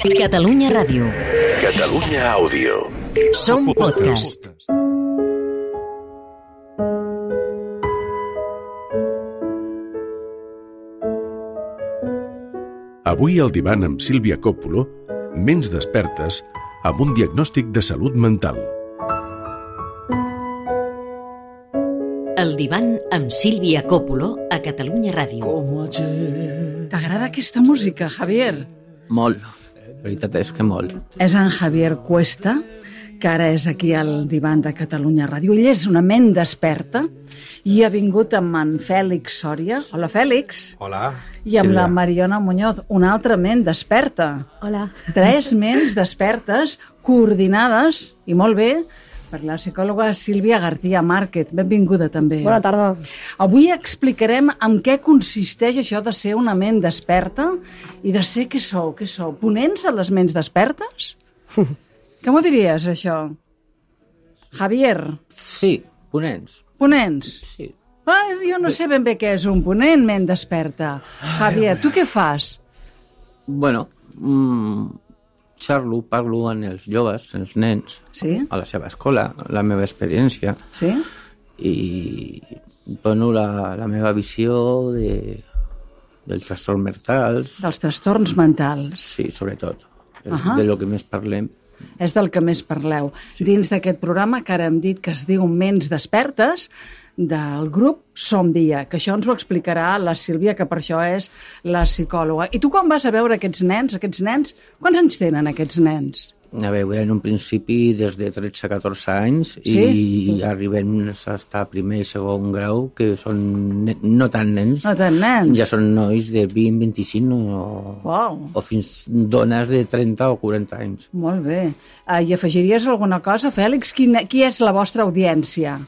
Catalunya Ràdio. Catalunya Àudio. Som podcast. Avui al divan amb Sílvia Coppola, Ments despertes amb un diagnòstic de salut mental. El divan amb Sílvia Coppola a Catalunya Ràdio. T'agrada aquesta música, Javier? Molt. La veritat és que molt. És en Javier Cuesta, que ara és aquí al divan de Catalunya Ràdio. Ell és una ment desperta i ha vingut amb en Fèlix Sòria. Hola, Fèlix. Hola, I amb Sílvia. la Mariona Muñoz, una altra ment desperta. Hola. 3 ments despertes, coordinades, i molt bé, per la psicòloga Sílvia García Márquez. Benvinguda, també. Bona tarda. Avui explicarem en què consisteix això de ser una ment desperta i de ser, què sou? Ponents a les ments despertes? Què m'ho diries, això? Javier, Sí, ponents. ponents? Sí. Jo no sé ben bé què és un ponent, ment desperta. Javier, tu què fas? Bueno, parlo amb els joves, els nens, Sí? a la seva escola, la meva experiència, Sí? i dono la meva visió dels trastorns mentals, Dels trastorns mentals. sí, sobretot. És Ahà. de lo que més parlem. És del que més parleu. Dins d'aquest programa, que ara hem dit que es diu Ments despertes, del grup Som Dia, que això ens ho explicarà la Sílvia, que per això és la psicòloga. I tu quan vas a veure aquests nens, quants anys tenen aquests nens? A veure, en un principi des de 13 a 14 anys Sí? i arribem a estar primer i segon grau, que són no tan nens. No tant nens. Ja són nois de 20, 25 Uau. o fins dones de 30 o 40 anys. Molt bé. I afegiries alguna cosa, Fèlix? Qui és la vostra audiència?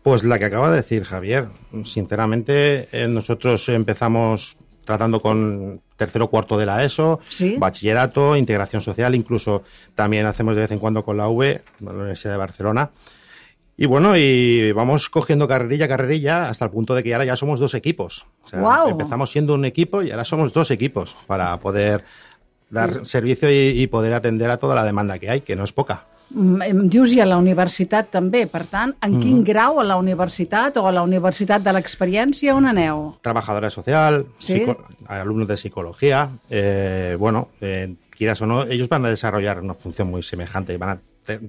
Pues la que acaba de decir Javier. Sinceramente, nosotros empezamos tratando con tercero o cuarto de la ESO, Sí. bachillerato, integración social, incluso también hacemos de vez en cuando con la UB, la Universidad de Barcelona. Y bueno, y vamos cogiendo carrerilla hasta el punto de que ahora ya somos 2 equipos. O sea, ¡Guau! empezamos siendo un equipo y ahora somos 2 equipos para poder dar servicio y poder atender a toda la demanda que hay, que no es poca. Em dius i a la universitat també. Per tant, en quin grau a la universitat o a la universitat de l'experiència on aneu? Trabajadora social, ¿Sí? alumnos de psicología, quieras o no, ellos van a desarrollar una función muy semejante y van a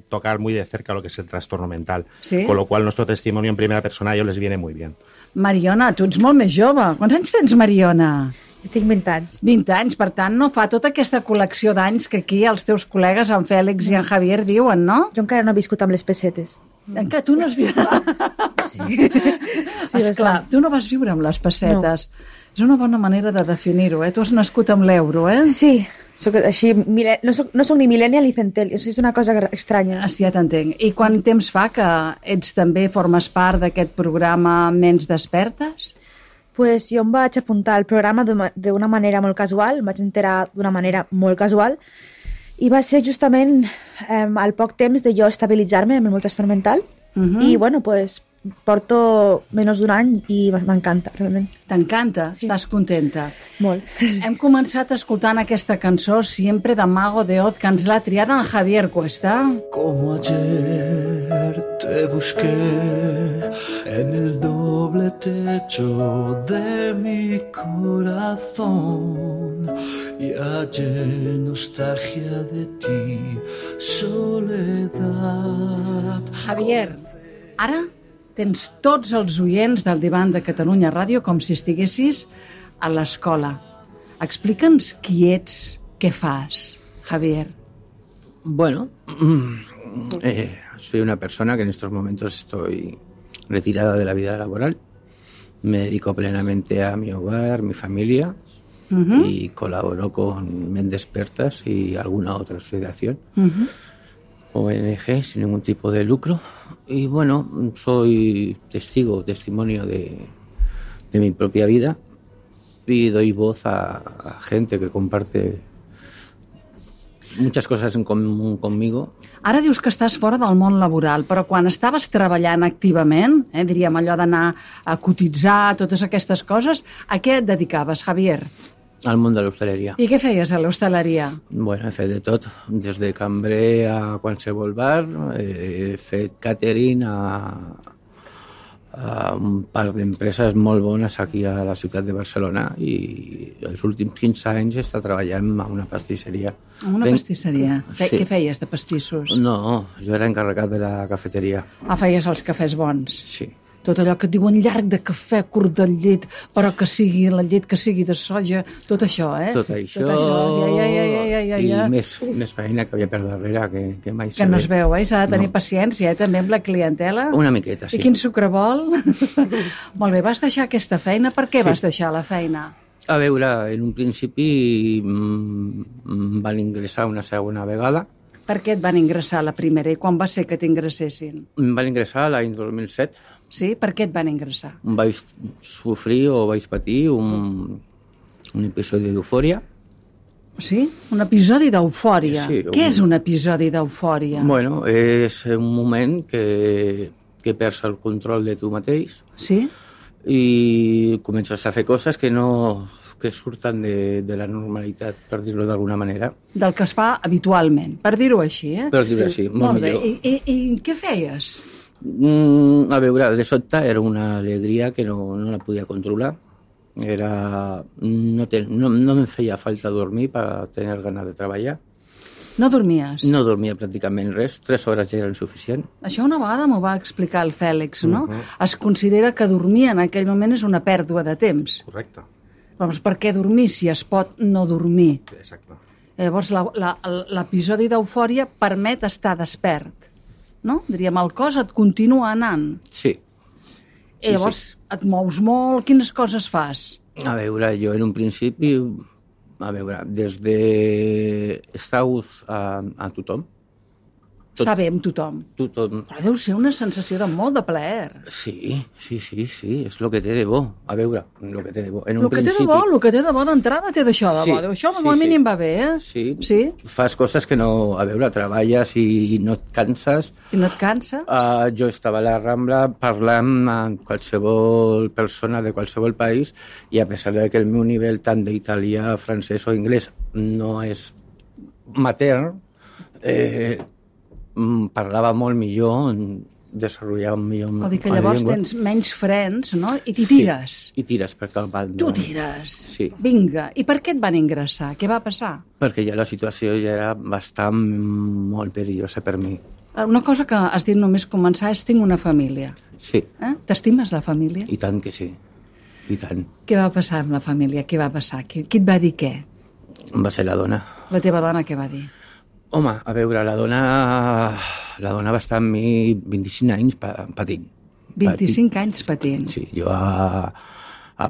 tocar muy de cerca lo que es el trastorno mental, ¿Sí? con lo cual nuestro testimonio en primera persona a ellos les viene muy bien. Mariona, tu ets molt més jove. Quants anys tens, Mariona? Jo tinc 20 anys. 20 anys, per tant, no fa tota aquesta col·lecció d'anys que aquí els teus col·legues, en Fèlix i en Javier, diuen, no? Jo encara no he viscut amb les pessetes. Encara tu no has viure... Sí. Esclar, tu no vas viure amb les pessetes. No. És una bona manera de definir-ho, Tu has nascut amb l'euro, Sí, soc així, no soc ni millennial ni centennial, és una cosa estranya. Sí, ja t'entenc. I quant temps fa que ets també formes part d'aquest programa Ments despertes? Pues jo em vaig apuntar al programa d'una manera molt casual, em vaig enterar d'una manera molt casual, i va ser justament al poc temps de jo estabilitzar-me amb el meu trastorn mental, i bueno, pues porto menys d'un any i m'encanta, realment. T'encanta? Sí. Estàs contenta? Molt. Hem començat escoltant aquesta cançó Siempre de Mago de Oz, que ens l'ha triat en Javier Cuesta. Como ayer te busqué en el doble techo de mi corazón y hallé nostalgia de ti, soledad. Javier, ara tens tots els oients del divan de Catalunya Ràdio com si estiguessis a l'escola. Explica'ns qui ets, què fas, Javier. Bueno, soy una persona que en estos momentos estoy retirada de la vida laboral. Me dedico plenamente a mi hogar, mi familia, y colaboro con Ments Despertas y alguna otra asociación, ONG, sin ningún tipo de lucro. Y bueno, soy testimonio de mi propia vida y doy voz a gente que comparte muchas cosas en común conmigo. Ara dius que estàs fora del món laboral, però quan estaves treballant activament, diríem allò d'anar a cotitzar, totes aquestes coses, a què et dedicaves, Javier? Al món de l'hostaleria. I què feies a l'hostaleria? Bueno, he fet de tot, des de cambrer a qualsevol bar, he fet catering a un parc d'empreses molt bones aquí a la ciutat de Barcelona i els últims 15 anys he estat treballant a una pastisseria. Una pastisseria? Sí. Què feies de pastissos? No, jo era encarregat de la cafeteria. Feies els cafès bons? Sí. Tot allò que et diuen llarg de cafè, curt de llet, però que sigui la llet que sigui de soja, tot això, eh? Tot això, ja. I més feina que havia per darrere que mai Que no es veu, eh? S'ha de tenir paciència, també amb la clientela. Una miqueta, sí. I quin sucre vol? Molt bé, vas deixar aquesta feina. Per què vas deixar la feina? A veure, en un principi van ingressar una segona vegada. Per què et van ingressar la primera i quan va ser que t'ingressessin? Em van ingressar l'any 2007. Sí? Per què et van ingressar? Vaig sofrir o vaig patir un episodi d'eufòria. Sí? Un episodi d'eufòria? Sí, Què és un episodi d'eufòria? Bueno, és un moment que perds el control de tu mateix. Sí? I comences a fer coses que surten de la normalitat, per dir-ho d'alguna manera. Del que es fa habitualment, per dir-ho així, eh? Per dir-ho així, molt millor. I què feies? A veure, de sobte era una alegria que no la podia controlar. No em feia falta dormir per tenir ganes de treballar. No dormies? No dormia pràcticament res, 3 hores ja eren suficient. Això una vegada m'ho va explicar el Fèlix, no? Es considera que dormir en aquell moment és una pèrdua de temps. Correcte. Doncs per què dormir si es pot no dormir? Exacte. Llavors l'episodi d'eufòria permet estar despert, no? Diríem, el cos et continua anant. Sí. I llavors et mous molt, quines coses fas? A veure, jo en un principi, des de estar a tothom. Està bé amb tothom. Tothom. Però deu ser una sensació de molt de plaer. Sí, és el que té de bo. A veure, el que té de bo. El que té de bo d'entrada té d'això de bo. Això com a mínim va bé, eh? Sí. Fas coses que no... A veure, treballes i no et canses. I no et cansa? Jo estava a la Rambla parlant amb qualsevol persona de qualsevol país i a pesar de que el meu nivell tant d'italià, francès o anglès no és matern, parlava molt millor, desenvolupava millor Vol dir que llavors tens menys frens, no? I t'hi tires. Sí, i tires per cap banda. Tu tires. Sí. Vinga. I per què et van ingressar? Què va passar? Perquè ja la situació ja era bastant molt perillosa per mi. Una cosa que has dit només començar és tinc una família. Sí. T'estimes la família? I tant que sí. I tant. Què va passar amb la família? Què va passar? Qui et va dir què? Va ser la dona. La teva dona què va dir? Home, a veure, la dona va estar amb mi 25 anys patint. 25 anys patint? Sí, jo, a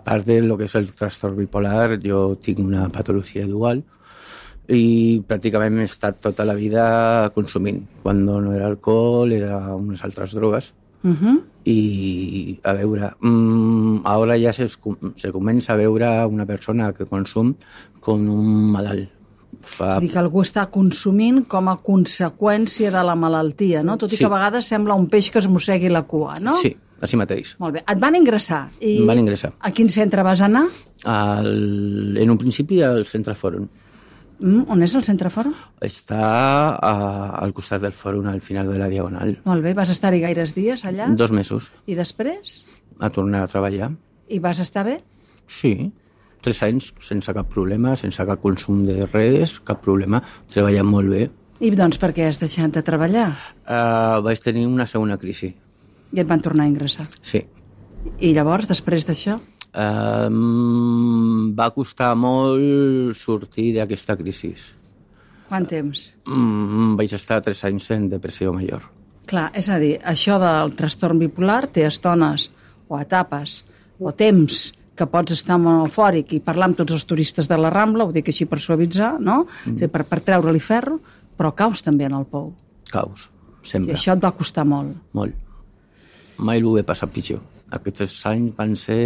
part de lo que és el trastorn bipolar, jo tinc una patologia dual i pràcticament he estat tota la vida consumint. Quan no era alcohol, era unes altres drogues. I, a veure, ara ja se comença a veure una persona que consum com un malalt. És a dir, que algú està consumint com a conseqüència de la malaltia, no? Tot i que a vegades sembla un peix que es mossegui la cua, no? Sí, així mateix. Molt bé. Et van ingressar? Em van ingressar. A quin centre vas anar? En un principi al Centre Fòrum. On és el Centre Fòrum? Està al costat del Fòrum, al final de la Diagonal. Molt bé. Vas estar-hi gaires dies allà? 2 mesos. I després? A tornar a treballar. I vas estar bé? Sí. 3 anys sense cap problema, sense cap consum de res, cap problema, treballant molt bé. I doncs per què has deixat de treballar? Vaig tenir una segona crisi. I et van tornar a ingressar? Sí. I llavors, després d'això? Va costar molt sortir d'aquesta crisi. Quant temps? Vaig estar 3 anys en depressió major. Clar, és a dir, això del trastorn bipolar té estones o etapes o temps que pots estar molt eufòric i parlar amb tots els turistes de la Rambla, ho dic així per suavitzar, no? Per treure-li ferro, però caus també en el pou. Caus, sempre. I això et va costar molt. Molt. Mai ho he passat pitjor. Aquests 3 anys van ser...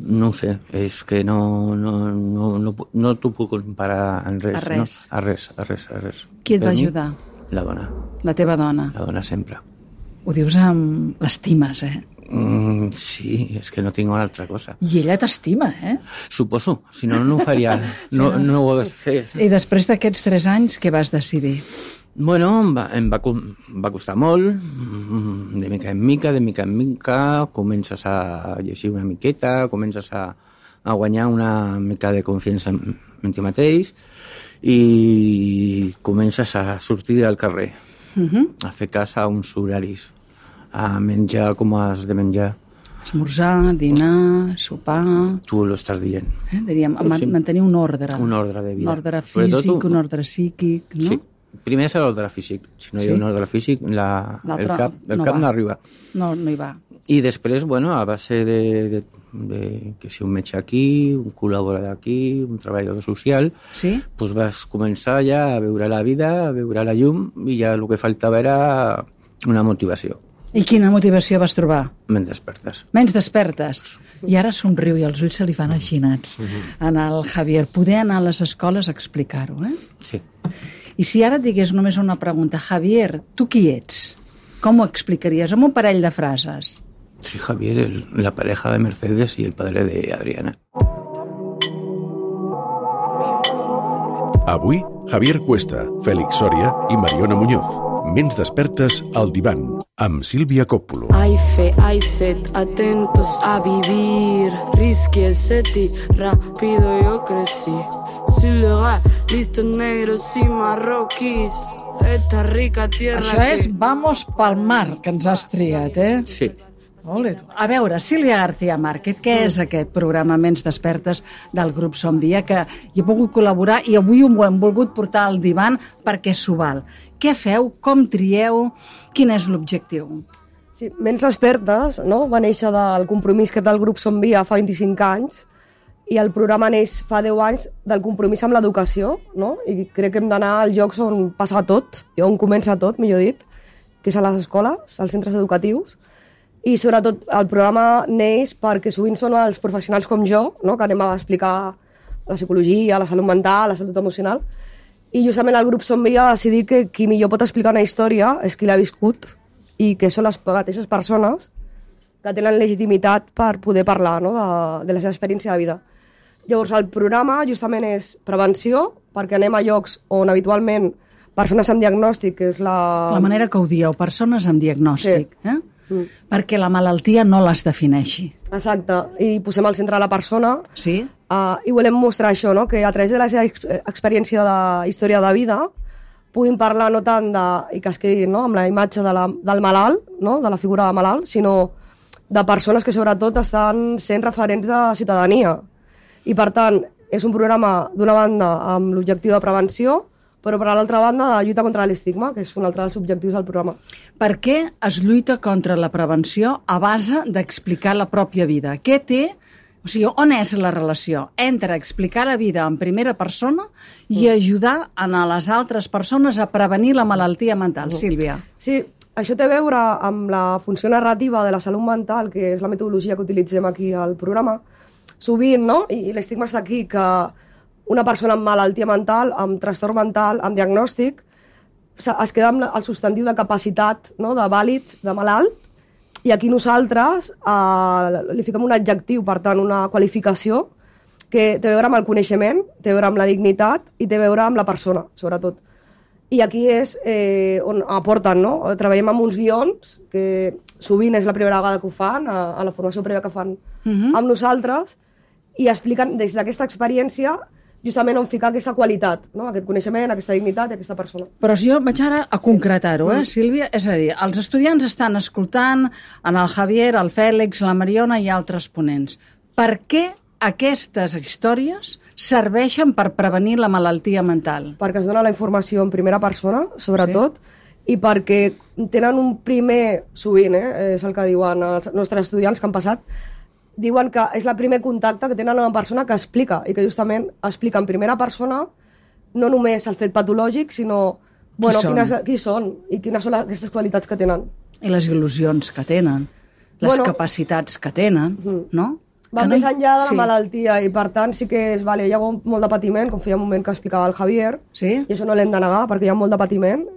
No ho sé, és que no t'ho puc comparar en res. A res. No? A res. Qui et va ajudar? La dona. La teva dona. La dona sempre. Ho dius amb... L'estimes, Sí, és que no tinc una altra cosa. I ella t'estima, Suposo, si no, no ho faria. No ho hagués fet. I després d'aquests 3 anys, què vas decidir? Bueno, em va costar molt, de mica en mica, comences a llegir una miqueta, comences a guanyar una mica de confiança en ti mateix i comences a sortir al carrer, a fer cas a uns horaris, a menjar com has de menjar. Esmorzar, dinar, sopar... Tu lo estàs dient. Diríem, mantenir un ordre. Un ordre de vida. Un ordre físic, un ordre psíquic, no? Sí. Primer és l'ordre físic. Si no hi ha un ordre físic, el cap no arriba. No hi va. I després, bueno, a base de que si un metge aquí, un col·laborador aquí, un treballador social, sí? Doncs vas començar ja a veure la vida, a veure la llum, i ja el que faltava era una motivació. I quina motivació vas trobar? Menys despertes. Menys despertes. I ara somriu i els ulls se li fan aixinats. En el Javier, poder anar a les escoles a explicar-ho, Sí. I si ara et digués només una pregunta, Javier, tu qui ets? Com ho explicaries? Amb un parell de frases. Soy Javier, la pareja de Mercedes y el padre de Adriana. Avui, Javier Cuesta, Félix Soria i Mariona Muñoz. Ments despertes al divan, amb Sílvia Coppola. Hay fe, hay sed, atentos a vivir. Risky el seti, rápido yo crecí. Silga, listos negros y marroquís. Esta rica tierra Això és Vamos pel mar, que ens has triat, Sí. Ole. A veure, Sílvia García Márquez, què és aquest programa Ments despertes del grup Som Dia, que hi he pogut col·laborar i avui ho hem volgut portar al divan perquè s'ho val. Què feu? Com trieu? Quin és l'objectiu? Sí, Ments despertes, no? Va néixer del compromís que té el grup Som Dia fa 25 anys i el programa neix fa 10 anys del compromís amb l'educació, no? I crec que hem d'anar als llocs on passa tot, i on comença tot, millor dit, que és a les escoles, als centres educatius. I sobretot el programa neix perquè sovint són els professionals com jo, no? Que anem a explicar la psicologia, la salut mental, la salut emocional, i justament el grup Som Dia va decidir que qui millor pot explicar una història és qui l'ha viscut i que són les mateixes persones que tenen legitimitat per poder parlar, no? de la seva experiència de vida. Llavors el programa justament és prevenció, perquè anem a llocs on habitualment persones amb diagnòstic, que és La manera que ho dieu, persones amb diagnòstic, Sí. Perquè la malaltia no les defineixi. Exacte, i posem al centre la persona. Sí? I volem mostrar això, no? Que a través de la seva experiència de història de vida puguin parlar no tant i que es quedin, no? Amb la imatge del malalt, no? De la figura de malalt, sinó de persones que sobretot estan sent referents de ciutadania. I per tant, és un programa d'una banda amb l'objectiu de prevenció, però per l'altra banda de lluita contra l'estigma, que és un altre dels objectius del programa. Per què es lluita contra la prevenció a base d'explicar la pròpia vida? Què té, o sigui, on és la relació entre explicar la vida en primera persona i ajudar a les altres persones a prevenir la malaltia mental? Sílvia. Sí, això té a veure amb la funció narrativa de la salut mental, que és la metodologia que utilitzem aquí al programa. Sovint, no? I l'estigma està aquí, que una persona amb malaltia mental, amb trastorn mental, amb diagnòstic, es queda amb el substantiu de capacitat, no? De vàlid, de malalt, i aquí nosaltres li fiquem un adjectiu, per tant, una qualificació que té a veure amb el coneixement, té a veure amb la dignitat i té a veure amb la persona, sobretot. I aquí és on aporten, no? Treballem amb uns guions, que sovint és la primera vegada que ho fan, a la formació prèvia que fan amb nosaltres, i expliquen des d'aquesta experiència justament on ficar aquesta qualitat, no? Aquest coneixement, aquesta dignitat i aquesta persona. Però si jo vaig ara a concretar-ho, Sílvia, és a dir, els estudiants estan escoltant en el Javier, el Fèlix, la Mariona i altres ponents. Per què aquestes històries serveixen per prevenir la malaltia mental? Perquè es dona la informació en primera persona, sobretot, i perquè tenen un primer, sovint, és el que diuen els nostres estudiants que han passat, diuen que és el primer contacte que tenen amb una persona que explica, i que justament explica en primera persona no només el fet patològic, sinó qui són i quines són aquestes qualitats que tenen. I les il·lusions que tenen, les capacitats que tenen, no? Va més enllà de la malaltia, i per tant sí que hi ha molt de patiment, com feia un moment que explicava el Javier, i això no l'hem de negar perquè hi ha molt de patiment,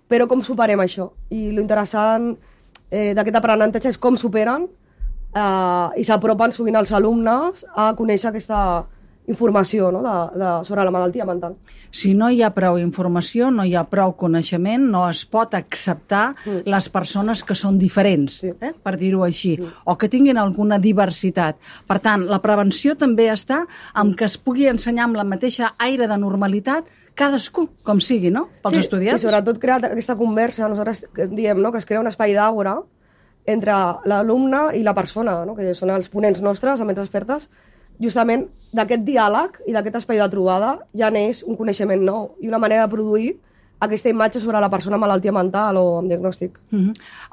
però com superem això? I l'interessant d'aquest aprenentatge és com superen i s'apropen sovint els alumnes a conèixer aquesta informació, no? Sobre la malaltia mental. Si no hi ha prou informació, no hi ha prou coneixement, no es pot acceptar les persones que són diferents, per dir-ho així, o que tinguin alguna diversitat. Per tant, la prevenció també està en que es pugui ensenyar amb la mateixa aire de normalitat cadascú, com sigui, no? Pels estudiants. I sobretot crear aquesta conversa, nosaltres diem, no?, que es crea un espai d'àgora entre l'alumne i la persona, no?, que són els ponents nostres, els ments expertes. Justament d'aquest diàleg i d'aquest espai de trobada ja neix un coneixement nou i una manera de produir aquesta imatge sobre la persona amb malaltia mental o amb diagnòstic.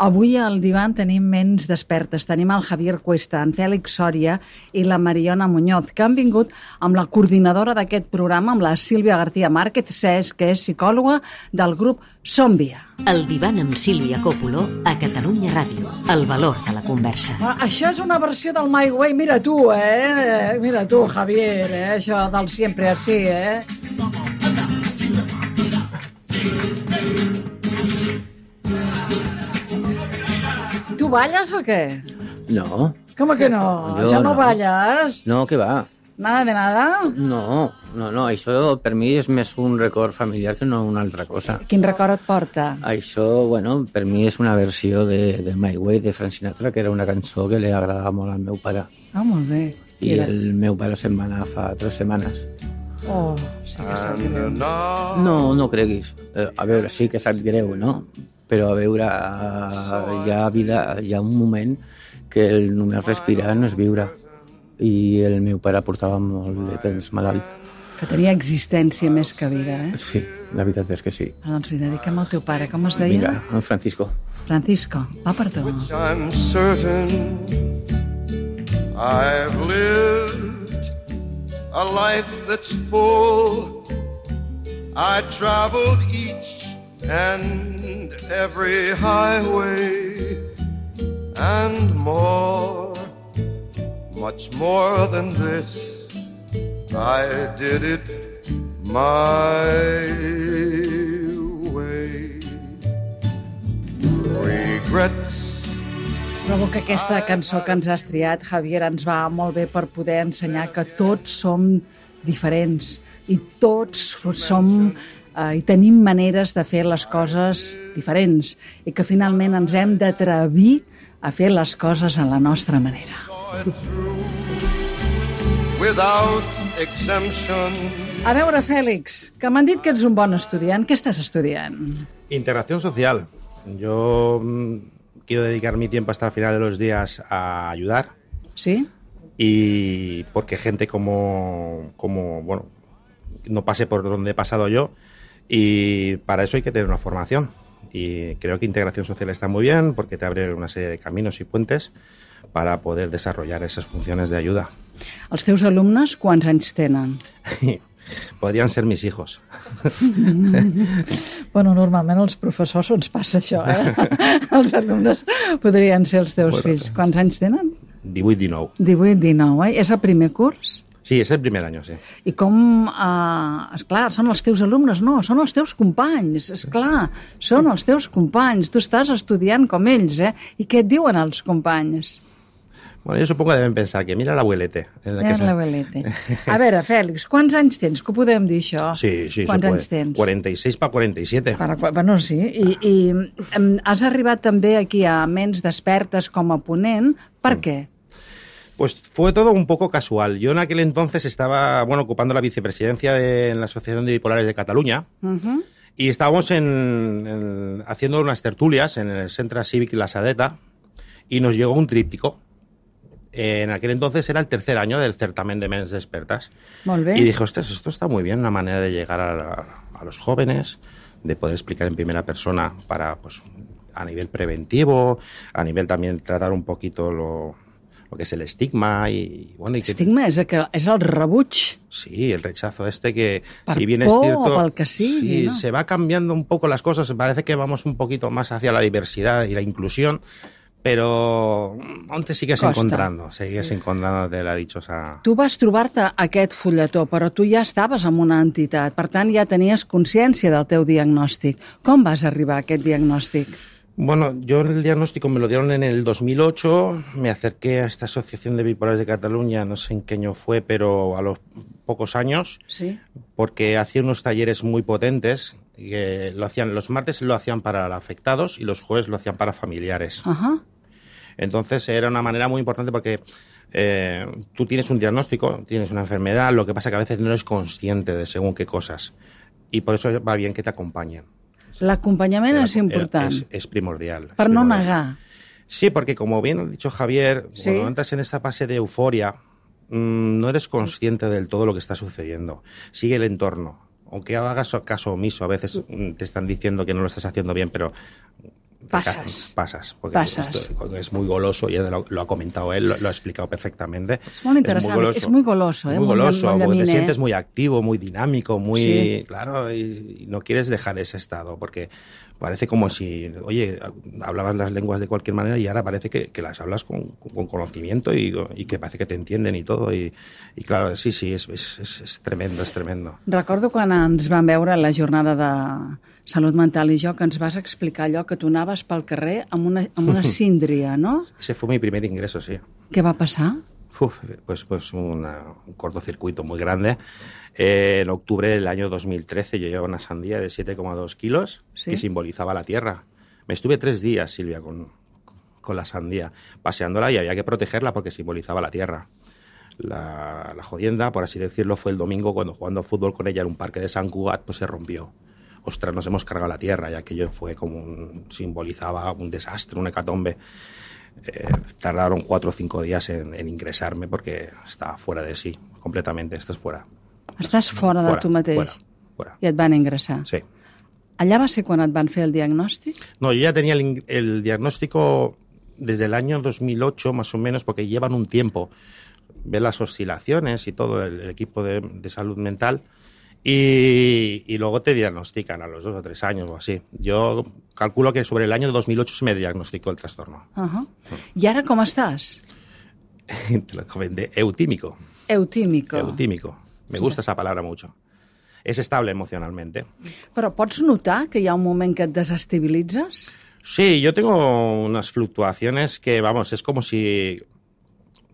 Avui al divan tenim ments despertes. Tenim el Javier Cuesta, en Fèlix Sòria i la Mariona Muñoz, que han vingut amb la coordinadora d'aquest programa, amb la Sílvia García Márquez, que és psicòloga del grup Som-Via. El divan amb Sílvia Coppola a Catalunya Ràdio. El valor de la conversa. Això és una versió del My Way. Mira tu, Mira tu, Javier, això del siempre así, ¿Tú ballas o qué? No. ¿Cómo que no? ¿Ya no ballas? No, que va. ¿Nada de nada? No, això per mi és més un record familiar que no una altra cosa. Quin record et porta? Això, bueno, per mi és una versió de My Way de Frank Sinatra, que era una cançó que li agradava molt al meu pare. Ah, molt bé. I el meu pare se'n va anar fa 3 setmanes. Oh, sí que sap greu. No creguis. A veure, sí que sap greu, no? Però a veure, hi ha un moment que el només respirar no és viure. I el meu pare portava molt de temps malalt. Que tenia existència més que vida, Sí, la veritat és que sí. Doncs li dediquem al teu pare. Com es deia? Vinga, en Francisco. Francisco, va per tu. I'm certain I've lived a life that's full. I traveled each and every highway and more. Much more than this, I did it my way. Regrets. Trobo que aquesta cançó que ens has triat, Javier, ens va molt bé per poder ensenyar que tots som diferents i tots som i tenim maneres de fer les coses diferents i que finalment ens hem d'atrevir a fer les coses a la nostra manera. A veure, Fèlix, que m'han dit que ets un bon estudiant. Què estàs estudiant? Integración social. Yo quiero dedicar mi tiempo hasta el final de los días a ayudar. ¿Sí? Y porque gente como bueno, no pase por donde he pasado yo. Y para eso hay que tener una formación. Y creo que integración social está muy bien porque te abre una serie de caminos y puentes para poder desarrollar esas funciones de ayuda. Els teus alumnes quants anys tenen? Podrien ser mis hijos. Bueno, normalment als professors ens passa això, Els alumnes podrien ser els teus fills. Quants anys tenen? 18-19. 18-19, És el primer curs? Sí, és el primer any, sí. I com, esclar, són els teus alumnes? No, són els teus companys, esclar, són els teus companys. Tu estàs estudiant com ells, I què et diuen els companys? Bueno, yo supongo que deben pensar que mira l'abuelete. L'abuelete. A veure, Fèlix, quants anys tens? Que ho podem dir, això? Sí, quants anys tens? 46 para 47. Bueno, sí. I has arribat també aquí a Ments Despertes com a ponent. Per què? Pues fue todo un poco casual. Yo en aquel entonces estaba, ocupando la vicepresidencia en la Asociación de Bipolares de Cataluña y estábamos haciendo unas tertulias en el Centre Cívic La Sadeta y nos llegó un tríptico. En aquel entonces era el 3er año del certamen de Ments Despertas. Molt bé. Y dije, ostras, esto está muy bien, una manera de llegar a los jóvenes, de poder explicar en primera persona para, pues, a nivel preventivo, a nivel también tratar un poquito lo que es el estigma y bueno... Estigma és el rebuig. Sí, el rechazo que per si bien es cierto... o pel que sigui, sí, no? Se va cambiando un poco las cosas, parece que vamos un poquito más hacia la diversidad y la inclusión, Pero on te sigues Costa. encontrando, de la dichosa... Tu vas trobar-te aquest fulletó, però tu ja estaves en una entitat, per tant ja tenies consciència del teu diagnòstic. Com vas arribar a aquest diagnòstic? Bueno, yo el diagnóstico me lo dieron en el 2008, me acerqué a esta Asociación de Bipolares de Cataluña, no sé en qué año fue, pero a los pocos años, Sí. porque hacía unos talleres muy potentes, que lo hacían los martes lo hacían para afectados y los jueves lo hacían para familiares. Ajá. Entonces era una manera muy importante porque tú tienes un diagnóstico, tienes una enfermedad, lo que pasa que a veces no eres consciente de según qué cosas. Y por eso va bien que te acompañen. L'acompanyament és important, Es primordial. es per no primordial. negar. Sí, porque como bien ha dicho Javier, Sí. cuando entras en esta fase de euforia, no eres consciente del todo lo que está sucediendo. Sigue el entorno. Aunque hagas caso omiso, a veces te están diciendo que no lo estás haciendo bien, pero... Pasas. Porque Pasas. esto es muy goloso, ya lo ha comentado él, lo ha explicado perfectamente. És molt interessant, és muy goloso. Muy goloso, molt porque te llaminer. sientes muy activo, muy dinámico, muy... Sí. Claro, y no quieres dejar ese estado, porque parece como si, oye, hablabas las lenguas de cualquier manera y ahora parece que las hablas con conocimiento y que parece que te entienden y todo. Y claro, sí, es tremendo, es tremendo. Recordo quan ens vam veure a la jornada de salut mental i jo, que ens vas explicar allò que tu anaves pel carrer amb una síndria, no? Ese fue mi primer ingreso, sí. Què va passar? Pues un cortocircuito muy grande. En octubre del año 2013 yo llevaba una sandía de 7,2 kilos ¿Sí? que simbolizaba la tierra. Me estuve 3 días, Silvia, con la sandía, paseándola, y había que protegerla porque simbolizaba la tierra. La jodienda, por así decirlo, fue el domingo cuando jugando fútbol con ella en un parque de Sant Cugat, pues se rompió. Ostras, nos hemos cargado la tierra, y aquello fue como simbolizaba un desastre, una hecatombe. Tardaron 4 o 5 días en ingresarme porque estaba fuera de sí, completamente. Estás fuera. Estàs fora de tu mateix Fuera. i et van ingressar. Sí. Allà va ser quan et van fer el diagnòstic? No, yo ya tenía el diagnóstico desde el año 2008 más o menos, porque llevan un tiempo. Ve las oscilaciones y todo el equipo de salud mental, y luego te diagnostican a los 2 o 3 años o así. Yo calculo que sobre el año 2008 se me diagnosticó el trastorno. I ara com estàs? Te lo comenté, eutímico. Eutímico. Me gusta esa palabra mucho. Es estable emocionalmente. Però pots notar que hi ha un moment que et desestabilitzes? Sí, yo tengo unas fluctuaciones que, vamos, es como si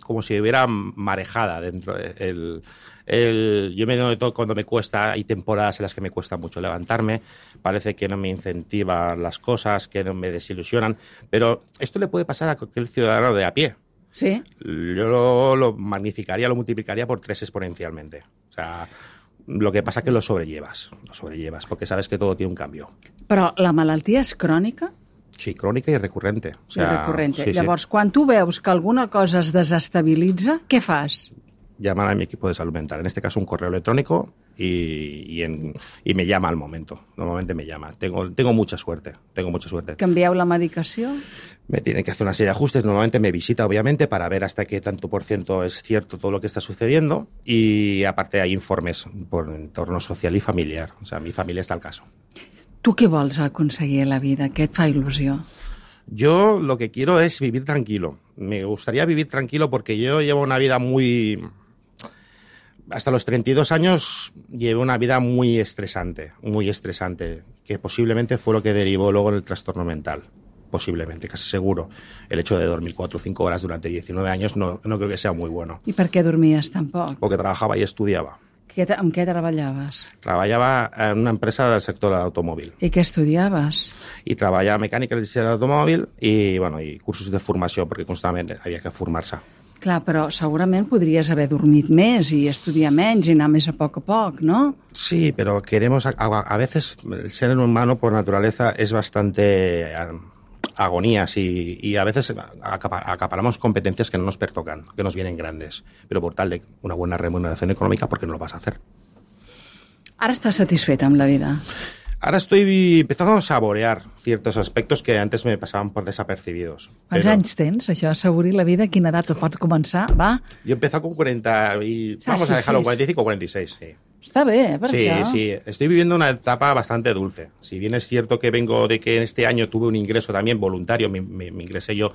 hubiera marejada dentro. Yo me noto cuando me cuesta, hay temporadas en las que me cuesta mucho levantarme, parece que no me incentivan las cosas, que no me desilusionan, pero esto le puede pasar a cualquier ciudadano de a pie. Sí. Yo lo magnificaría, lo multiplicaría por 3 exponencialmente. O sea, lo que pasa es que lo sobrellevas, porque sabes que todo tiene un cambio. Però la malaltia és crònica? Sí, crònica i recurrente. O sea, I recurrente. sí. Llavors, quan tu veus que alguna cosa es desestabilitza, què fas? Llamar a mi equipo de salud mental, en este caso un correo electrónico, y me llama al momento. Normalmente me llama. Tengo mucha suerte. Canvieu la medicació? Me tienen que hacer una serie de ajustes. Normalmente me visita, obviamente, para ver hasta qué tanto por ciento es cierto todo lo que está sucediendo. Y aparte hay informes por entorno social y familiar. O sea, mi familia está al caso. Tu què vols aconseguir a la vida? Què et fa il·lusió? Yo lo que quiero es vivir tranquilo. Me gustaría vivir tranquilo porque yo llevo una vida muy... Hasta los 32 años llevé una vida muy estresante, que posiblemente fue lo que derivó luego en el trastorno mental. Posiblemente, casi seguro. El hecho de dormir 4 o 5 horas durante 19 años no creo que sea muy bueno. I per què dormies tan poc? Porque trabajaba y estudiaba. Amb què treballaves? Trabajaba en una empresa del sector del automóvil. I què estudiaves? Y trabajaba mecánica del diseño del automóvil y cursos de formación, porque constantemente había que formarse. Clar, però segurament podries haver dormit més i estudiar menys i anar més a poc, ¿no? Sí, pero queremos... A veces el ser humano por naturaleza es bastante agonías y a veces acaparamos competencias que no nos pertocan, que nos vienen grandes. Pero por tal de una buena remuneración económica, ¿por qué no lo vas a hacer? Ara estàs satisfet amb la vida? Ahora estoy empezando a saborear ciertos aspectos que antes me pasaban por desapercibidos. Quants anys tens, això, assaborir la vida? Quina edat pot començar? Va? Yo he empezado con 40 y vamos a dejarlo 45 o 46, sí. Està bé, per Sí, això. sí, estoy viviendo una etapa bastante dulce. Si bien es cierto que vengo de que este año tuve un ingreso también voluntario, me ingresé yo.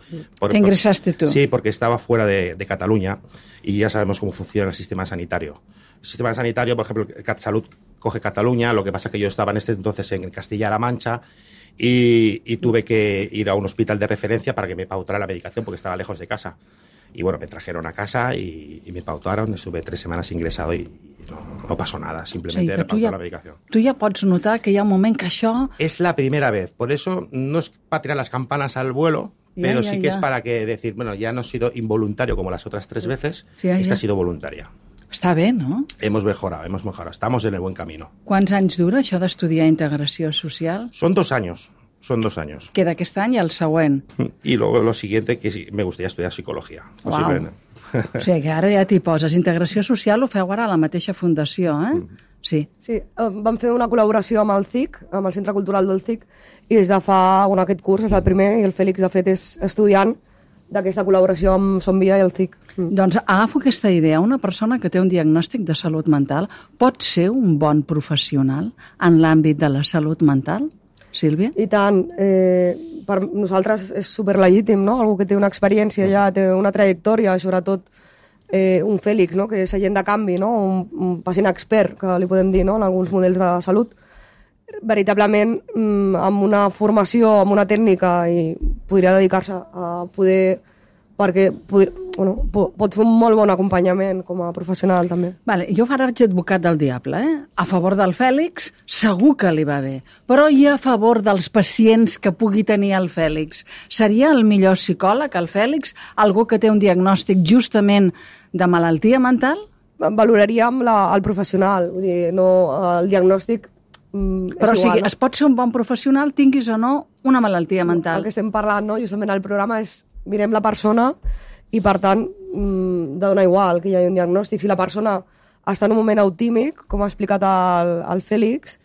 Te ingresaste tú. Sí, porque estaba fuera de Cataluña y ya sabemos cómo funciona el sistema sanitario. El sistema sanitario, por ejemplo, el CatSalut coge Cataluña, lo que pasa es que yo estaba en este entonces en Castilla-La Mancha y tuve que ir a un hospital de referencia para que me pautara la medicación porque estaba lejos de casa. Y bueno, me trajeron a casa y me pautaron, estuve 3 semanas ingresado y no pasó nada, simplemente me pautó la medicación. Tu ja pots notar que hi ha un moment que això... Es la primera vez, por eso no es para tirar las campanas al vuelo, pero sí que es para que decir, bueno, ya no he sido involuntario como las otras 3 veces, esta ha sido voluntaria. Està bé, no? Hemos mejorado, estamos en el buen camino. Quants anys dura això d'estudiar integració social? Son 2 años. Queda aquest any i el següent. Y luego lo siguiente, que sí, me gustaría estudiar psicología. Uau. O sigui que ara ja t'hi poses. Integració social ho feu ara a la mateixa fundació, eh? Sí. Sí, vam fer una col·laboració amb el CIC, amb el Centre Cultural del CIC, i des de fa, bueno, aquest curs és el primer, i el Fèlix, de fet, és estudiant d'aquesta col·laboració amb Som Via i el CIC. Doncs agafo aquesta idea. Una persona que té un diagnòstic de salut mental pot ser un bon professional en l'àmbit de la salut mental? Sílvia? I tant. Per nosaltres és superlegítim, no? Algú que té una experiència ja, té una trajectòria, sobretot un Fèlix, no? Que és agent de canvi, no? Un pacient expert, que li podem dir, no? En alguns models de salut. Veritablement, amb una formació, amb una tècnica, i podria dedicar-se a poder... perquè pot fer un molt bon acompanyament com a professional, també. Vale, jo ara vaig advocat del diable, eh? A favor del Fèlix, segur que li va bé. Però i a favor dels pacients que pugui tenir el Fèlix? Seria el millor psicòleg, el Fèlix? Algú que té un diagnòstic justament de malaltia mental? Valoraríem el professional, vull dir, no el diagnòstic. Però o sigui, es pot ser un bon professional, tinguis o no una malaltia mental. El que estem parlant, no? Justament al programa és mirem la persona i, per tant, dona igual que hi hagi un diagnòstic. Si la persona està en un moment autímic, com ha explicat el Fèlix,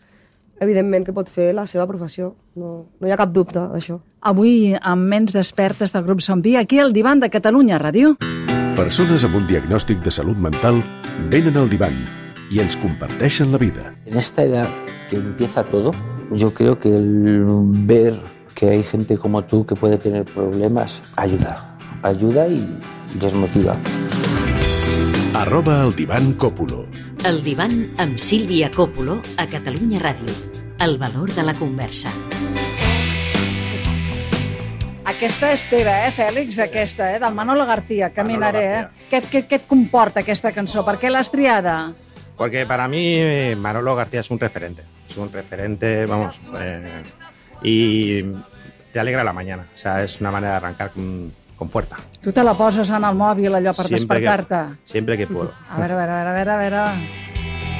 evidentment que pot fer la seva professió. No hi ha cap dubte d'això. Avui, amb Ments Despertes del grup Som Via, aquí al Divan de Catalunya Ràdio. Persones amb un diagnòstic de salut mental venen al divan y ens comparteixen la vida. En esta edad que empieza todo, yo creo que el ver que hay gente como tú que puede tener problemas ayuda y les motiva. @el divan Còpolo. El divan amb Sílvia Còpolo a Catalunya Ràdio. El valor de la conversa. Aquesta és teva, Fèlix? Aquesta, del Manolo García, Caminaré. Què et comporta aquesta cançó? Per què l'has triada? Porque para mí Manolo García es un referente. Es un referente, vamos... y te alegra la mañana. O sea, es una manera de arrancar con fuerza. Tu te la poses en el mòbil allò per despertar-te? Siempre que puedo. A veure.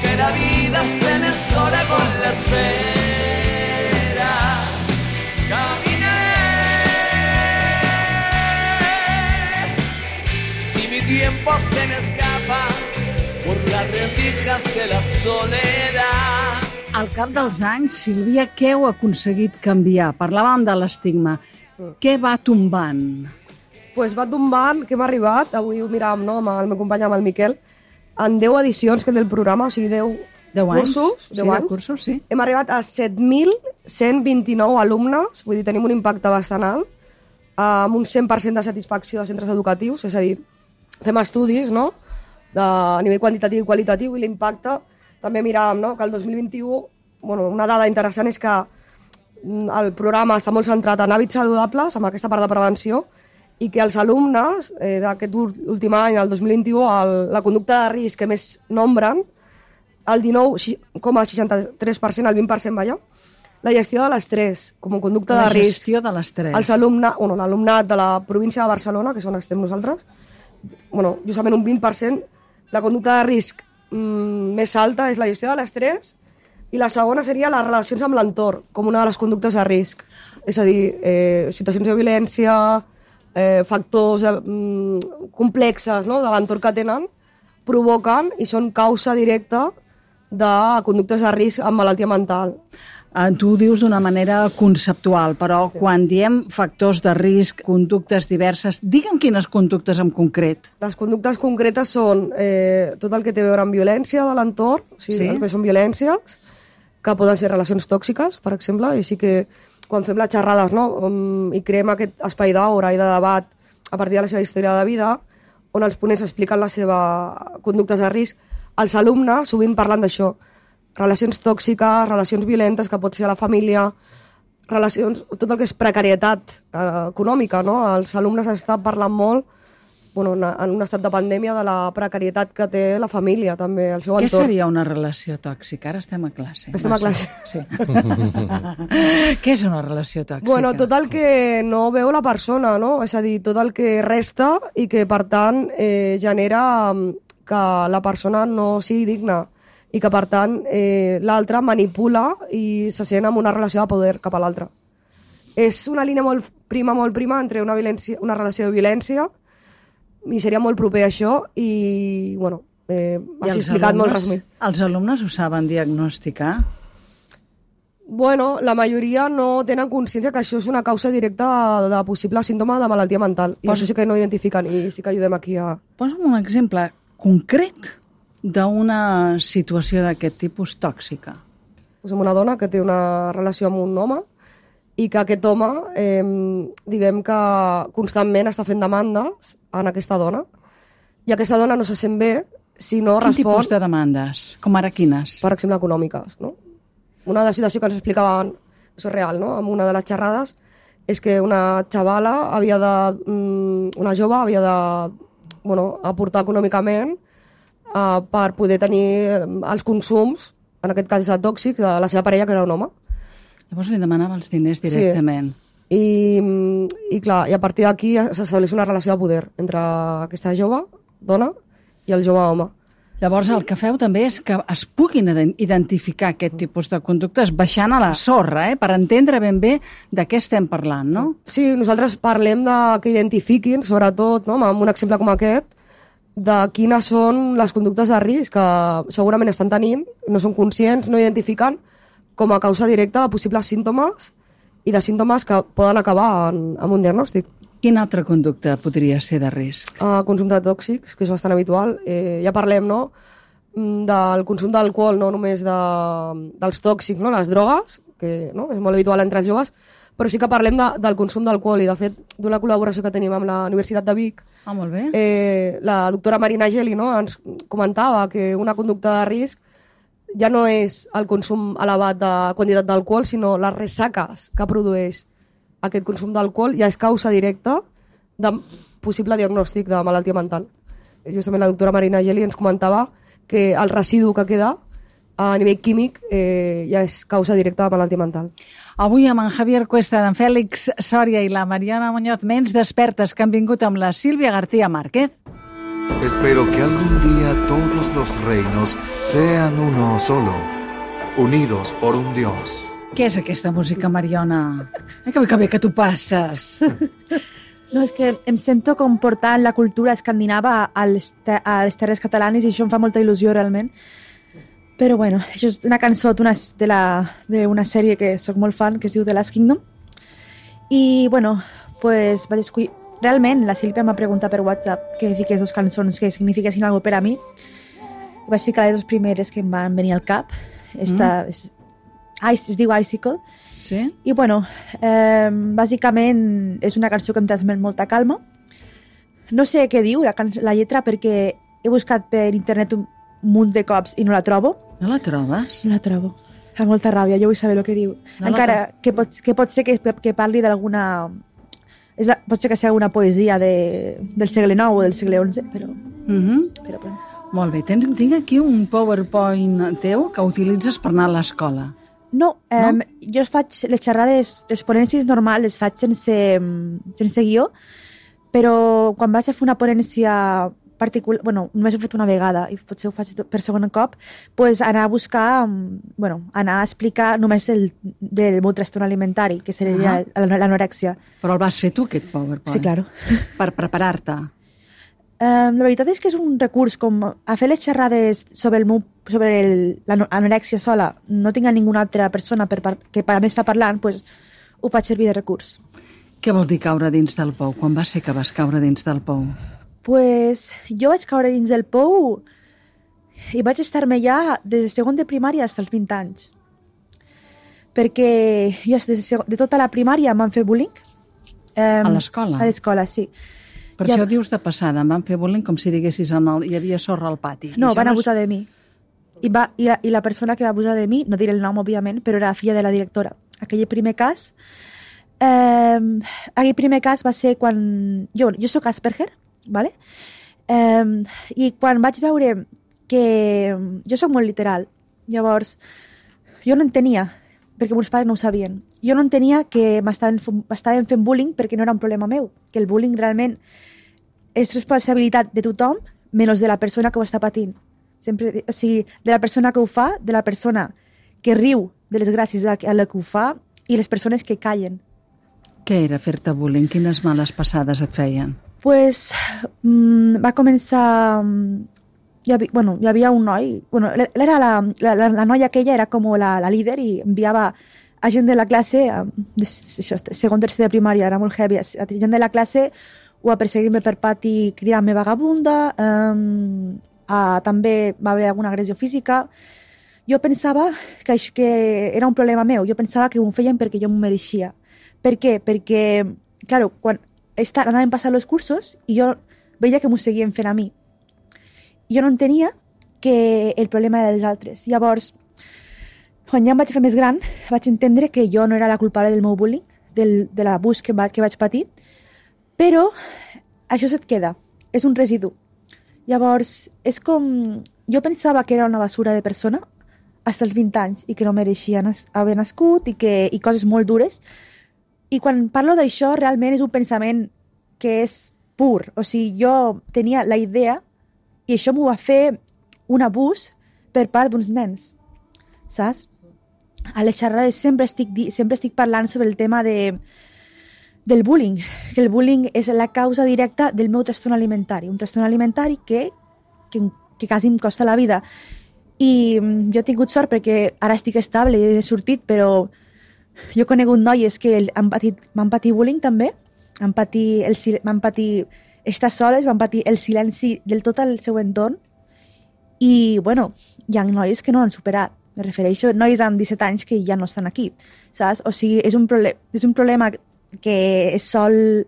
Que la vida se me escorre por la esfera. Caminé. Si mi tiempo se me escapa por las rendijas de la soledad. Al cap dels anys, Sílvia, què heu aconseguit canviar? Parlàvem de l'estigma. Què va tombant? Pues va tombant, que hem arribat, avui ho miràvem, no?, amb el meu company, amb el Miquel, en 10 edicions que té el programa, o sigui, 10 cursos. 10 anys. Cursos, sí. Hem arribat a 7.129 alumnes, vull dir, tenim un impacte bastant alt, amb un 100% de satisfacció de centres educatius, és a dir, fem estudis, no?, a nivell quantitatiu i qualitatiu, i l'impacte, també miràvem, no?, que el 2021, bueno, una dada interessant és que el programa està molt centrat en hàbits saludables, amb aquesta part de prevenció, i que els alumnes d'aquest últim any, el 2021, la conducta de risc que més nombren, el 19,63%, el 20%, vaja, la gestió de l'estrès, com a conducta de risc. La gestió de l'estrès. L'alumnat de la província de Barcelona, que és on estem nosaltres, justament un 20%, la conducta de risc més alta és la gestió de l'estrès, i la segona seria les relacions amb l'entorn, com una de les conductes de risc. És a dir, situacions de violència, factors complexes, no?, de l'entorn que tenen, provoquen i són causa directa de conductes de risc amb malaltia mental. Tu ho dius d'una manera conceptual, però quan diem factors de risc, conductes diverses, digue'm quines conductes en concret. Les conductes concretes són tot el que té a veure amb violència de l'entorn, o sigui, el que són violències, que poden ser relacions tòxiques, per exemple, i sí que quan fem les xerrades, no, i creem aquest espai d'aura i de debat a partir de la seva història de vida, on els ponents expliquen les seves conductes de risc, els alumnes sovint parlen d'això, relacions tòxiques, relacions violentes, que pot ser a la família, relacions, tot el que és precarietat econòmica, no? Els alumnes estan parlant molt, bueno, en un estat de pandèmia, de la precarietat que té la família, també, el seu entorn. Què seria una relació tòxica? Ara estem a classe. Estem a classe. Sí. Què és una relació tòxica? Bueno, tot el que no veu la persona, no? És a dir, tot el que resta i que, per tant, genera que la persona no sigui digna i que, per tant, l'altre manipula i se sent en una relació de poder cap a l'altre. És una línia molt prima entre una relació de violència, i seria molt proper a això i, bueno, has explicat molt resumit. Els alumnes ho saben diagnosticar? Bueno, la majoria no tenen consciència que això és una causa directa de possible símptoma de malaltia mental. I això sí que no identifiquen i sí que ajudem aquí a... Posa'm un exemple concret d'una situació d'aquest tipus tòxica. Posem una dona que té una relació amb un home i que aquest home, diguem que constantment està fent demandes en aquesta dona i aquesta dona no se sent bé si no respon... Quin tipus de demandes? Com ara quines? Per exemple, econòmiques, no? Una de les situacions que ens explicaven, això és real, no? En una de les xerrades, és que una xavala una jove havia de aportar econòmicament per poder tenir els consums, en aquest cas tòxics, de la seva parella, que era un home. Llavors li demanava els diners directament. Sí. I clar, i a partir d'aquí s'estableix una relació de poder entre aquesta jove dona i el jove home. Llavors el que feu també és que es puguin identificar aquest tipus de conductes baixant a la sorra, per entendre ben bé de què estem parlant, no? Sí, nosaltres parlem que identifiquin, sobretot, no, amb un exemple com aquest, de quines són les conductes de risc que segurament estan tenint, no són conscients, no identifiquen com a causa directa de possibles símptomes i de símptomes que poden acabar amb un diagnòstic. Quina altra conducta podria ser de risc? Consum de tòxics, que és bastant habitual. Ja parlem, no?, del consum d'alcohol, no només dels tòxics, no?, les drogues, que no? És molt habitual entre els joves, però sí que parlem del consum d'alcohol i, de fet, d'una col·laboració que tenim amb la Universitat de Vic. Molt bé. La doctora Marina Geli, no?, ens comentava que una conducta de risc ja no és el consum elevat de quantitat d'alcohol, sinó les ressaques que produeix aquest consum d'alcohol ja és causa directa de possible diagnòstic de malaltia mental. Justament la doctora Marina Geli ens comentava que el residu que queda a nivell químic ja és causa directa de malaltia mental. Avui amb en Javier Cuesta, en Fèlix Sòria i la Mariana Muñoz, ments despertes que han vingut amb la Sílvia García Márquez. Espero que algún día todos los reinos sean uno solo, unidos por un Dios. Què és aquesta música, Mariona? Que bé que tu passes. No, és que em sento com portant la cultura escandinava a les terres catalanes i això em fa molta il·lusió realment. Però bueno, això és una cançó d'una sèrie que sóc molt fan, que es diu The Last Kingdom. I bueno, pues vaig escollir... Realment, la Sílvia m'ha preguntat per WhatsApp que fiqués dos cançons que signifiquessin alguna cosa per a mi. Vaig ficar les dues primeres que em van venir al cap. Esta es diu Icicle. Sí? I bueno, bàsicament és una cançó que em transmet molta calma. No sé què diu la lletra perquè he buscat per internet un munt de cops i no la trobo. No la trobes? No la trobo. Fa molta ràbia, jo vull saber el que diu. No, encara que pot ser que parli d'alguna... Pot ser que sigui una poesia del segle IX o del segle XI, però... però... Molt bé, tinc aquí un PowerPoint teu que utilitzes per anar a l'escola. No, jo faig les xerrades, les ponències normals les faig sense guió, però quan vaig a fer una ponència particular, bueno, només ho he fet una vegada i potser ho faig per segon cop, pues anar a buscar, anar a explicar només el meu trastorn alimentari, que seria l'anorèxia. Però el vas fer tu, aquest PowerPoint? Sí, claro. Per preparar-te? La veritat és que és un recurs com a fer les xerrades sobre l'anorèxia sola, no tinc a ninguna altra persona que per a mi està parlant, doncs ho faig servir de recurs. Què vol dir caure dins del pou? Quan va ser que vas caure dins del pou? Pues jo vaig caure dins del pou i vaig estar-me ja des de segon de primària fins als 20 anys. Perquè jo de tota la primària em van fer bullying. A l'escola? A l'escola, sí. Per això dius de passada, em van fer bullying com si diguessis hi havia sorra al pati. No, van abusar de mi. I la persona que va abusar de mi, no diré el nom, òbviament, però era filla de la directora. Aquell primer cas va ser quan... Jo soc Asperger, ¿vale? I quan vaig veure que... Jo soc molt literal. Llavors, jo no entenia, perquè meus pares no ho sabien. Jo no entenia que m'estaven fent bullying perquè no era un problema meu, que el bullying realment és responsabilitat de tothom, menys de la persona que ho està patint. Sempre, o sigui, de la persona que ho fa, de la persona que riu de les gràcies a la que ho fa i les persones que callen. Què era fer-te bullying? Quines males passades et feien? Pues va començar... Hi havia un noi... La noia aquella era com la líder i enviava a gent de la classe, segon, tercer de primària, era molt heavy, a gent de la classe o a perseguir-me per pati cridant-me vagabunda, també va haver alguna agressió física. Jo pensava que era un problema meu, jo pensava que ho feien perquè jo m'ho mereixia. Per què? Perquè, clar, quan anaven passant els cursos i jo veia que m'ho seguien fent a mi. Jo no entenia que el problema era dels altres. Llavors, quan ja em vaig fer més gran, vaig entendre que jo no era la culpable del meu bullying, de l'abús que vaig patir, però això se't queda, és un residu. Llavors, és com... Jo pensava que era una basura de persona fins als 20 anys i que no mereixia haver nascut i coses molt dures. I quan parlo d'això, realment és un pensament que és pur. O sigui, jo tenia la idea i això m'ho va fer un abús per part d'uns nens, saps? A les xerrades sempre estic parlant sobre el tema del bullying, que el bullying és la causa directa del meu trastorn alimentari, un trastorn alimentari que quasi em costa la vida. I jo he tingut sort perquè ara estic estable i he sortit, però jo he conegut noies que m'han patit bullying també, van patir estar soles, van patir el silenci del tot el seu entorn i, bueno, hi ha noies que no han superat. Me refereixo a noies amb 17 anys que ja no estan aquí, saps? O sigui, és un problema que es sol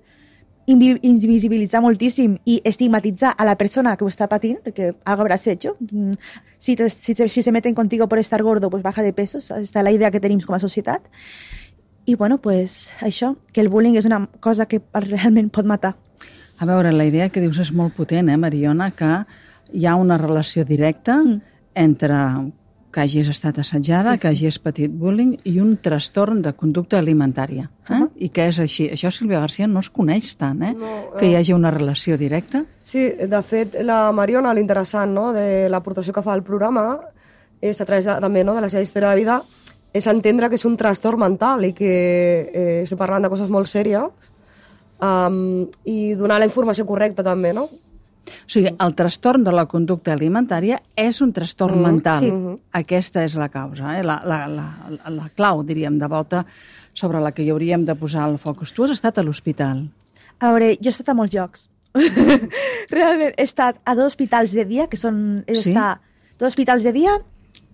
invisibilitzar moltíssim i estigmatitzar a la persona que ho està patint, perquè algo habrás hecho. Si se meten contigo por estar gordo, pues baja de peso, esta és la idea que tenim com a societat. I, bueno, pues això, que el bullying és una cosa que realment pot matar. A veure, la idea que dius és molt potent, Mariona, que hi ha una relació directa entre que hagis estat assetjada, que hagis patit bullying i un trastorn de conducta alimentària. I que és així. Això, Sílvia García, no es coneix tant, que hi hagi una relació directa. Sí, de fet, la Mariona, l'interessant de l'aportació que fa al programa és a través també de la seva història de vida, és entendre que és un trastorn mental i que estem parlant de coses molt sèries i donar la informació correcta també, no? O sigui, el trastorn de la conducta alimentària és un trastorn mental. Sí. Aquesta és la causa, la clau, diríem, de volta sobre la que hi hauríem de posar el focus. Tu has estat a l'hospital. A veure, jo he estat a molts llocs. Realment, he estat a 2 hospitals de dia, que són... Sí? 2 hospitals de dia...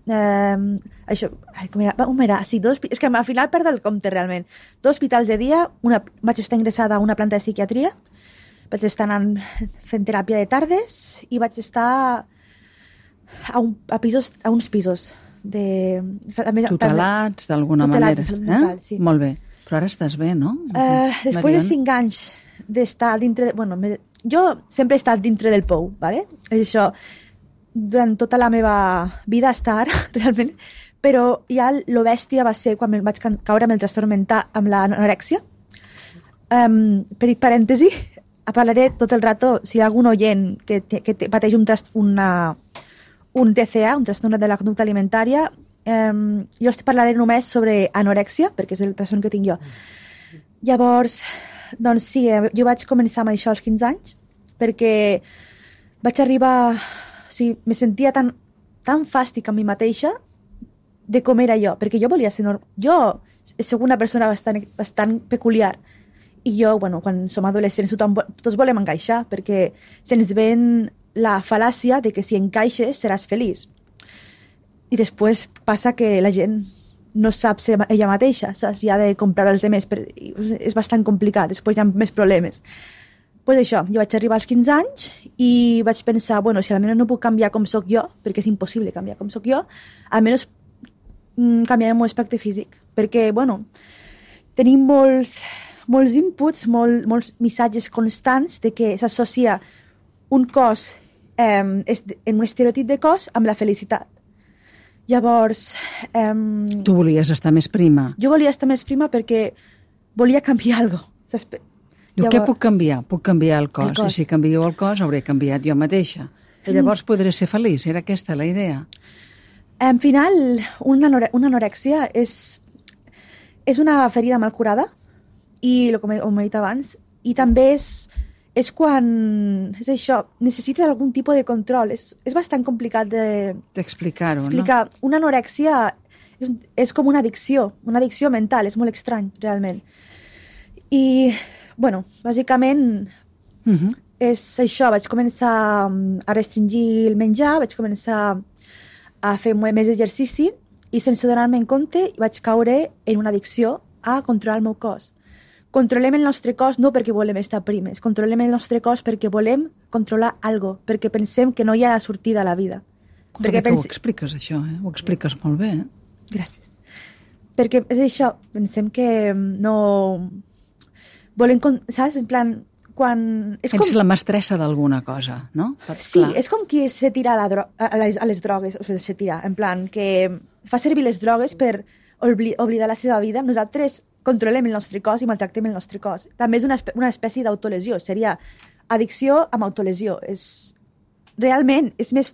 això... Com era? Sí, és que al final perdo el compte, realment. 2 hospitals de dia, vaig estar ingressada a una planta de psiquiatria, vaig estar fent teràpia de tardes i vaig estar a uns pisos tutelats d'alguna manera. De salut mental, sí. Molt bé. Però ara estàs bé, no? Després de 5 anys d'estar dintre... Jo sempre he estat dintre del pou, ¿vale? Això, durant tota la meva vida està ara, realment, però ja lo bèstia va ser quan vaig caure amb el trastorn mental, amb l'anorèxia. Petit parèntesi, parlaré tot el rato, si hi ha algun oient que pateix un TCA, un trastorn de la conducta alimentària, jo parlaré només sobre anorèxia, perquè és el trastorn que tinc jo. Llavors, doncs sí, jo vaig començar amb això als 15 anys, perquè vaig arribar... O sigui, me sentia tan fàstic amb mi mateixa de com era jo, perquè jo volia ser normal. Jo soc una persona bastant peculiar i jo, bueno, quan som adolescents tots volem encaixar, perquè se'ns ven la fal·làcia de que si encaixes seràs feliç. I després passa que la gent no sap ser ella mateixa, saps? I ha de comprar els demés. És bastant complicat, després hi ha més problemes. Pues això, jo vaig arribar als 15 anys i vaig pensar, bueno, si almenys no puc canviar com sóc jo, perquè és impossible canviar com sóc jo, almenys canviaré el meu aspecte físic. Perquè, bueno, tenim molts inputs, molts missatges constants de que s'associa un cos en un estereotip de cos amb la felicitat. Llavors... Tu volies estar més prima. Jo volia estar més prima perquè volia canviar alguna cosa. Diu, què puc canviar? Puc canviar el cos. I si canvio el cos, hauré canviat jo mateixa. I llavors podré ser feliç. Era aquesta la idea? En final, una anorèxia és una ferida mal curada, i com he dit abans, i també és quan... És això, necessites algun tipus de control. És bastant complicat d'explicar-ho, no? Explicar. Una anorèxia és com una addicció mental, és molt estrany, realment. I... Bueno, bàsicament és això, vaig començar a restringir el menjar, vaig començar a fer més exercici i sense donar-me en compte vaig caure en una addicció a controlar el meu cos. Controlem el nostre cos no perquè volem estar primes, controlem el nostre cos perquè volem controlar alguna cosa, perquè pensem que no hi ha sortida a la vida. Perquè ho expliques, això, Ho expliques molt bé, Gràcies. Perquè és això, pensem que no... Volem, saps? En plan, quan... Ets la mestressa d'alguna cosa, no? Sí, és com qui se tira a les drogues, o sigui, se tira, en plan, que fa servir les drogues per oblidar la seva vida. Nosaltres controlem el nostre cos i maltractem el nostre cos. També és una espècie d'autolesió, seria addicció amb autolesió. Realment, és més...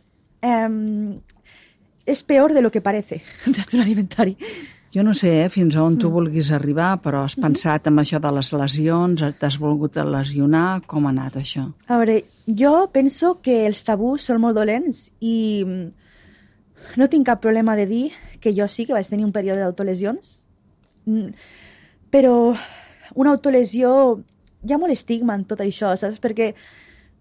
és peor de lo que parece, un trastorn alimentari. Jo no sé fins on tu vulguis arribar, però has pensat en això de les lesions, t'has volgut lesionar, com ha anat això? A veure, jo penso que els tabús són molt dolents i no tinc cap problema de dir que jo sí que vaig tenir un període d'autolesions, però una autolesió, hi ha molt estigma en tot això, saps? Perquè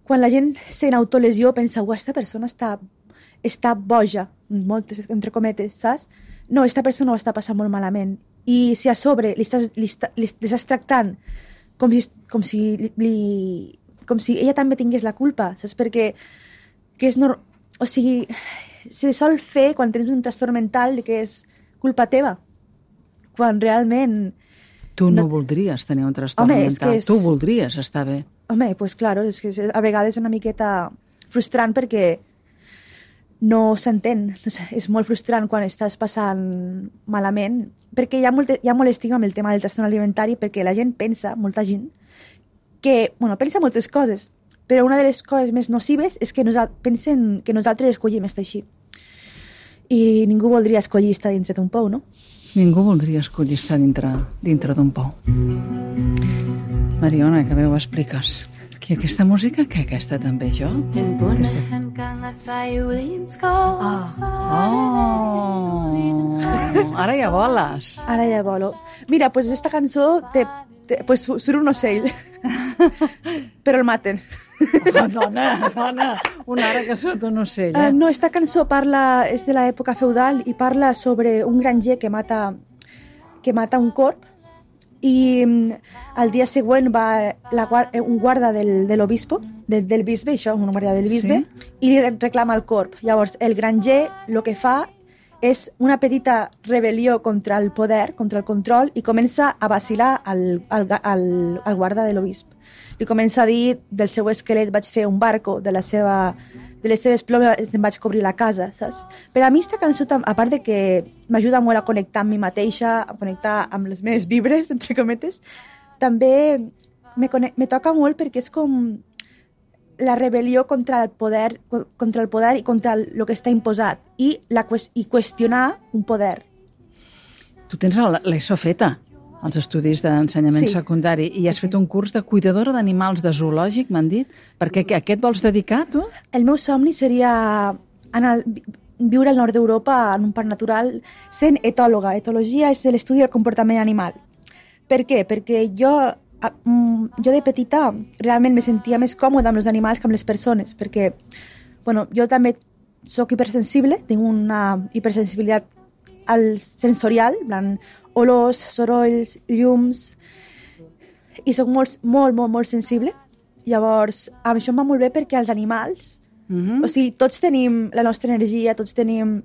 quan la gent sent autolesió pensa, aquesta persona està boja, moltes entre cometes, saps? No, aquesta persona ho està passant molt malament. I si a sobre li estàs tractant com si ella també tingués la culpa, saps? Perquè o sigui, se sol fer quan tens un trastorn mental que és culpa teva, quan realment... Tu no voldries tenir un trastorn mental, tu voldries estar bé. Home, pues claro, és que a vegades és una miqueta frustrant perquè no s'entén, és molt frustrant quan estàs passant malament, perquè hi ha molt estigma amb el tema del trastorn alimentari, perquè la gent pensa, molta gent, que, bueno, pensa moltes coses, però una de les coses més nocives és que pensen que nosaltres escollim estar així. I ningú voldria escollir estar dintre d'un pou, no? Ningú voldria escollir estar dintre d'un pou. Mariona, que bé ho expliques. I aquesta música, què? Aquesta també, jo? Ara ja voles. Ara ja volo. Mira, pues esta cançó pues surt un ocell. Però el maten. Oh, dona, una hora que surt un ocell. No, esta cançó és de l'època feudal i parla sobre un granger que mata un corp, i al dia següent va un guarda de l'obispo, del bisbe, això, un guarda del bisbe, sí? I li reclama el corp. Llavors, el granger el que fa és una petita rebel·lió contra el poder, contra el control, i comença a vacilar al guarda de l'obispo. Li comença a dir, del seu esquelet vaig fer un barco, de les seves plomes em vaig cobrir la casa, saps? Per a mi aquesta cançó, a part de que m'ajuda molt a connectar amb mi mateixa, a connectar amb les meves vibres, entre cometes, també me toca molt perquè és com la rebel·lió contra el poder i contra el que està imposat i qüestionar un poder. Tu tens l'ESO feta. als estudis d'ensenyament secundari, i has fet un curs de cuidadora d'animals de zoològic, m'han dit. Per què a què et vols dedicar, tu? El meu somni seria viure al nord d'Europa en un parc natural sent etòloga. Etologia és l'estudi del comportament animal. Per què? Perquè jo de petita realment me sentia més còmoda amb els animals que amb les persones, perquè jo també soc hipersensible, tinc una hipersensibilitat sensorial, en plan, olors, sorolls, llums, i soc molt sensible. Llavors, això em va molt bé perquè els animals, o sigui, tots tenim la nostra energia, tots tenim...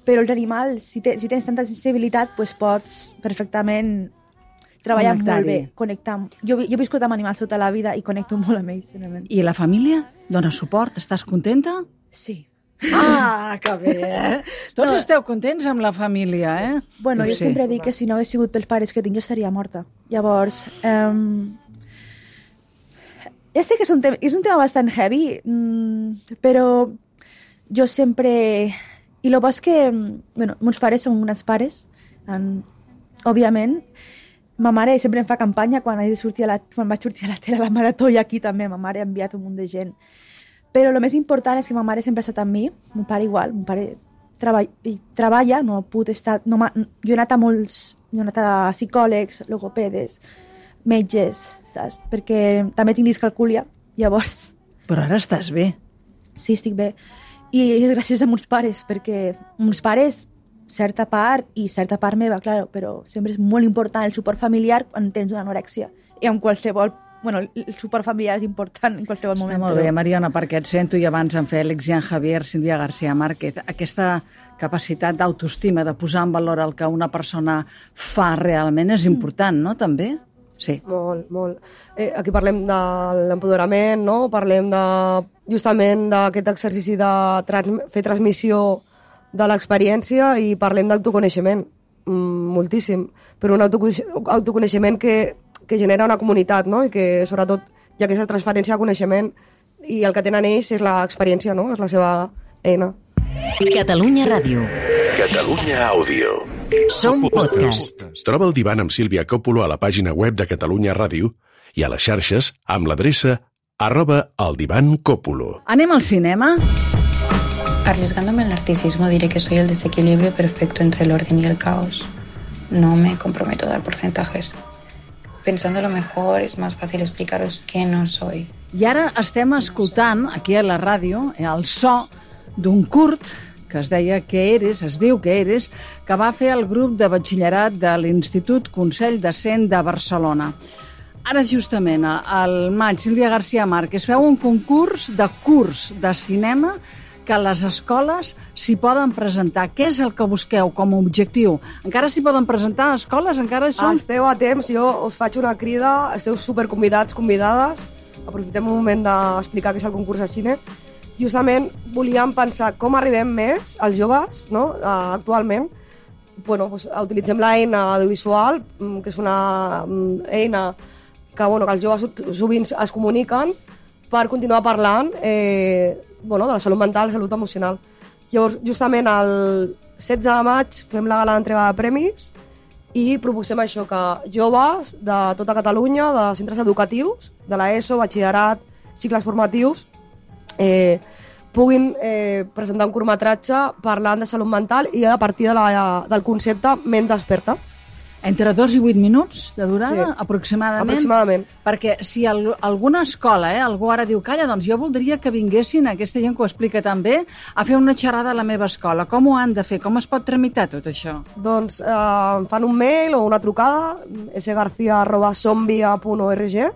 Però els animals, si tens tanta sensibilitat, pots perfectament treballar molt bé, connectar. Jo he viscut amb animals tota la vida i connecto molt amb ells. I la família? Dona suport? Estàs contenta? Sí. Ah, que bé, Tots esteu contents amb la família, Bueno, jo sempre dic que si no hagués sigut pels pares que tinc, jo estaria morta. Llavors, ja sé que és un tema bastant heavy, però jo sempre... I el bo és que, meus pares són unes pares, òbviament. Ma mare sempre em fa campanya quan vaig sortir a la tele a la marató, i aquí també ma mare ha enviat un munt de gent. Però el més important és que ma mare sempre ha estat amb mi, mon pare igual, mon pare treballa, no ha pogut estar... Jo he anat a psicòlegs, logopedes, metges, saps? Perquè també tinc discalcúlia, llavors... Però ara estàs bé. Sí, estic bé. I és gràcies a meus pares, perquè meus pares, certa part meva, clar, però sempre és molt important el suport familiar quan tens una anorèxia. I en qualsevol... el suport familiar és important en qualsevol moment. Està molt bé, Mariona, perquè et sento, i abans en Fèlix, Jean Javier, Sílvia García Márquez, aquesta capacitat d'autoestima, de posar en valor el que una persona fa realment és important, no?, també? Sí. Molt. Aquí parlem de l'empoderament, no? Parlem justament d'aquest exercici de fer transmissió de l'experiència, i parlem d'autoconeixement, moltíssim, però un autoconeixement que genera una comunitat, no? I que, sobretot, hi ha aquesta transferència de coneixement, i el que tenen ells és l'experiència, no? És la seva eina. Catalunya Ràdio. Catalunya Àudio. Som podcast. Troba el divan amb Sílvia Coppola a la pàgina web de Catalunya Ràdio i a les xarxes amb l'adreça @eldivancoppola. Anem al cinema? Arriesgándome al narcisismo diré que soy el desequilibrio perfecto entre el orden y el caos. No me comprometo a dar porcentajes. Pensándolo mejor, es más fácil explicaros qué no soy. I ara estem escoltant, aquí a la ràdio, el so d'un curt que es diu Que eres, que va fer el grup de batxillerat de l'Institut Consell de Cent de Barcelona. Ara, justament, al maig, Sílvia García Márquez feu un concurs de cinema que les escoles s'hi poden presentar. Què és el que busqueu com a objectiu? Encara s'hi poden presentar escoles? Encara són... Esteu a temps, jo us faig una crida, esteu superconvidats, convidades. Aprofitem un moment d'explicar què és el concurs de cine. Justament volíem pensar com arribem més als joves, no? Actualment. Utilitzem l'eina audiovisual, que és una eina que els joves sovint es comuniquen per continuar parlant de la salut mental, salut emocional. Llavors, justament el 16 de maig fem la gala d'entrega de premis i proposem això, que joves de tota Catalunya, de centres educatius, de l'ESO, batxillerat, cicles formatius, puguin presentar un curtmetratge parlant de salut mental i a partir del concepte Ment desperta. Entre 2 i 8 minuts de durada, sí, aproximadament. Perquè si alguna escola, algú ara diu, calla, doncs jo voldria que vinguessin, aquesta gent que ho explica tan bé, a fer una xerrada a la meva escola. Com ho han de fer? Com es pot tramitar tot això? Doncs fan un mail o una trucada, sgarcia@sombia.org,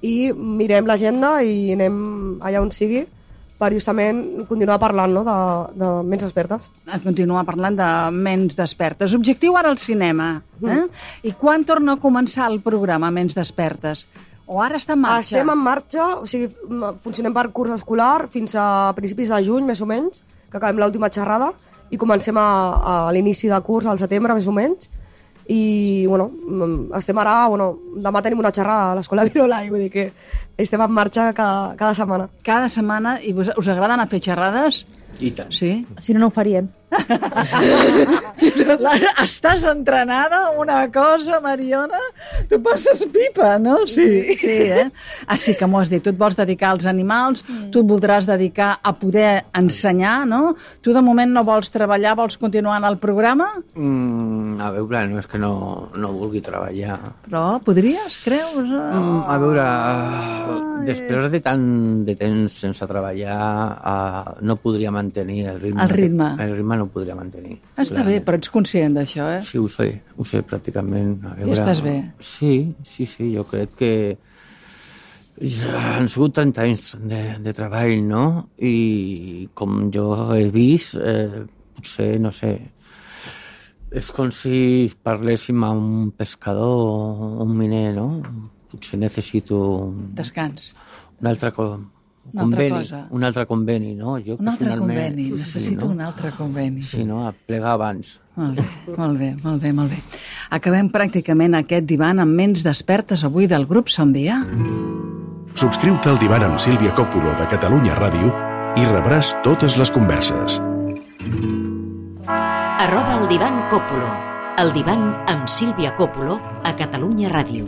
i mirem l'agenda i anem allà on sigui per justament continuar parlant, no?, de ments despertes. Continuar parlant de ments despertes. Objectiu ara al cinema. I quan torna a començar el programa Ments despertes? O ara està en marxa? Estem en marxa, o sigui, funcionem per curs escolar fins a principis de juny, més o menys, que acabem l'última xerrada, i comencem a l'inici de curs al setembre, més o menys. I, estem ara, demà tenim una xerrada a l'Escola Virola, i vull dir que estem en marxa cada setmana. Cada setmana, i us agrada anar a fer xerrades? I tant. Sí? Si no, no ho faríem. Estàs entrenada una cosa, Mariona? Tu passes pipa, no? Sí, Així que m'ho has dit, tu et vols dedicar als animals, tu et voldràs dedicar a poder ensenyar, no? Tu de moment no vols treballar, vols continuar en el programa? A veure, no és que no vulgui treballar. Però podries, creus? A veure, després de tant de temps sense treballar, no podria mantenir el ritme. El ritme no podria mantenir. Està bé, però ets conscient d'això, eh? Sí, ho sé pràcticament. A veure, I estàs bé? Sí, jo crec que han sigut 30 anys de treball, no? I com jo he vist, potser, no sé, és com si parléssim a un pescador o un miner, no? Potser necessito... Descans. Un altre conveni, no? Jo un altre conveni, necessito un altre conveni. Sí, no? A plegar abans. Molt bé. Acabem pràcticament aquest divan amb ments despertes avui del grup Son Via. Subscriu-te al divan amb Sílvia Coppola de Catalunya Ràdio i rebràs totes les converses. @el divan Coppola. El divan amb Sílvia Coppola a Catalunya Ràdio.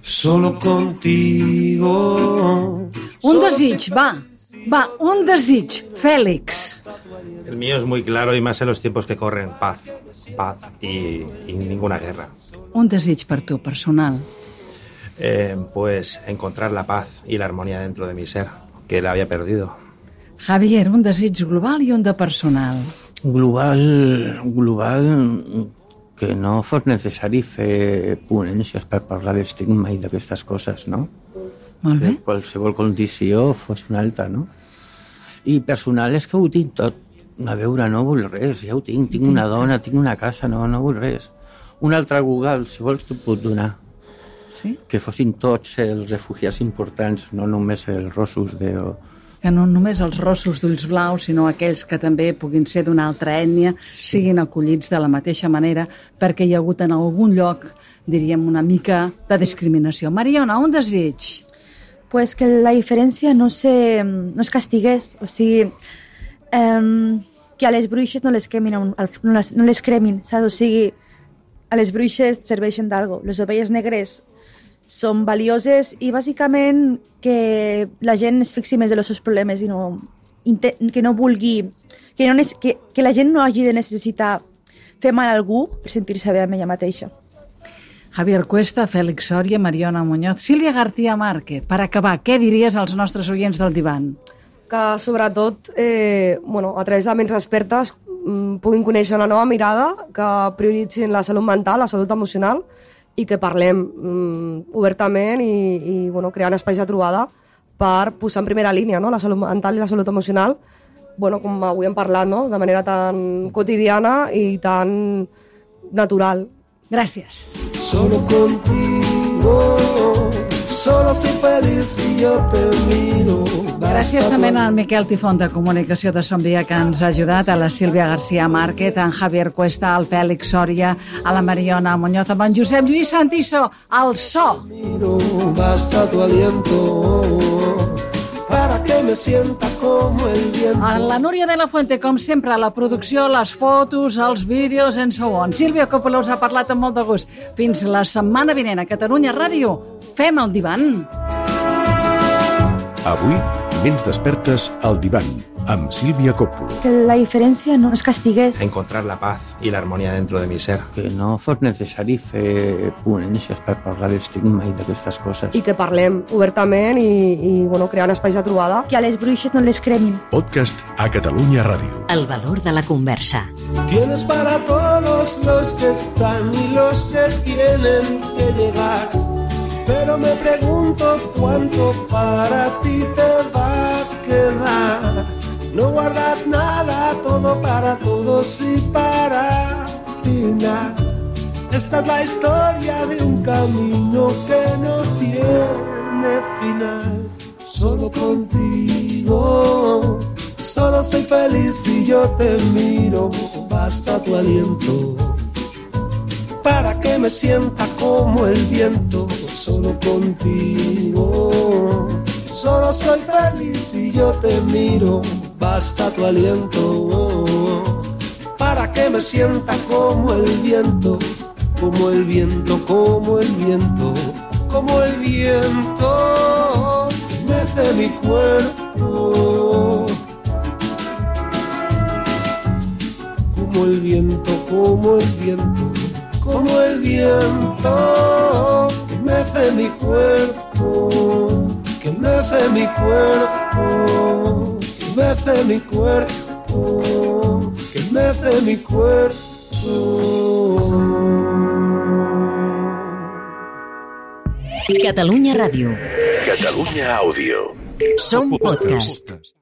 Solo contigo. Un desig, va, un desig, Fèlix. El mío es muy claro y más en los tiempos que corren. Paz y ninguna guerra. Un desig per tu, personal. Pues encontrar la paz y la armonía dentro de mi ser, que la había perdido. Javier, un desig global i un de personal. Global, que no fos necessari fer ponències per parlar d'estigma i d'aquestes coses, no? Molt bé. Que qualsevol condició fos una altra, no? I personal és que ho tinc tot. A veure, no vull res, ja ho tinc. Tinc una dona, tinc una casa, no vull res. Un altre Google, si vols, t'ho puc donar. Sí? Que fossin tots els refugiats importants, no només els rossos de... Que no només els rossos d'ulls blaus, sinó aquells que també puguin ser d'una altra ètnia, siguin acollits de la mateixa manera, perquè hi ha hagut en algun lloc, diríem, una mica de discriminació. Mariona, un desig? Pues que la diferència no es castigués, o sigui, que a les bruixes no les cremin, saps? O sigui, a les bruixes serveixen d'algo. Les ovelles negres són valioses i bàsicament que la gent es fixi més en els seus problemes i que no vulgui, que la gent no hagi de necessitar fer mal a algú per sentir-se bé amb ella mateixa. Javier Cuesta, Fèlix Sòria, Mariona Muñoz, Sílvia García Márquez. Per acabar, què diries als nostres oients del divan? Que sobretot, a través de ments expertes, puguin conèixer una nova mirada, que prioritzin la salut mental, la salut emocional, i que parlem obertament i creant espais de trobada per posar en primera línia, no? La salut mental i la salut emocional, com avui hem parlat, no? De manera tan quotidiana i tan natural. Gràcies. Solo contigo, solo soy feliz si yo te miro. Gràcies també al Miquel Tifón de Comunicació de Son Via, que ens ha ajudat, a la Sílvia García Márquez, a en Javier Cuesta, al Fèlix Sòria, a la Mariona Muñoz, a en Josep Lluís Santiso, al so. Basta tu aliento para que me sienta como el viento. A la Núria de la Fuente, com sempre, a la producció, les fotos, els vídeos, and so on. Sílvia Coppola us ha parlat amb molt de gust. Fins la setmana vinent a Catalunya Ràdio. Fem el divan. Avui, ments despertes al divan, amb Sílvia Coppola. Que la diferència no es castigués. Encontrar la paz y la armonía dentro de mi ser. Que no fos necessari fer ponències per parlar d'estigma i d'aquestes coses. I que parlem obertament i creant espais de trobada. Que a les bruixes no les cremin. Podcast a Catalunya Ràdio. El valor de la conversa. Tienes para todos los que están y los que tienen que llegar. Pero me pregunto cuánto para ti te va a quedar. No guardas nada, todo para todos y para ti nada. Esta es la historia de un camino que no tiene final. Solo contigo, solo soy feliz si yo te miro. Basta tu aliento para que me sienta como el viento. Solo contigo, solo soy feliz si yo te miro. Basta tu aliento para que me sienta como el viento, como el viento, como el viento, como el viento que mece mi cuerpo. Como el viento, como el viento, como el viento que mece mi cuerpo, que mece mi cuerpo, que mece mi cuerpo, que mece mi cuerpo. Catalunya Ràdio. Catalunya Àudio. Som podcast.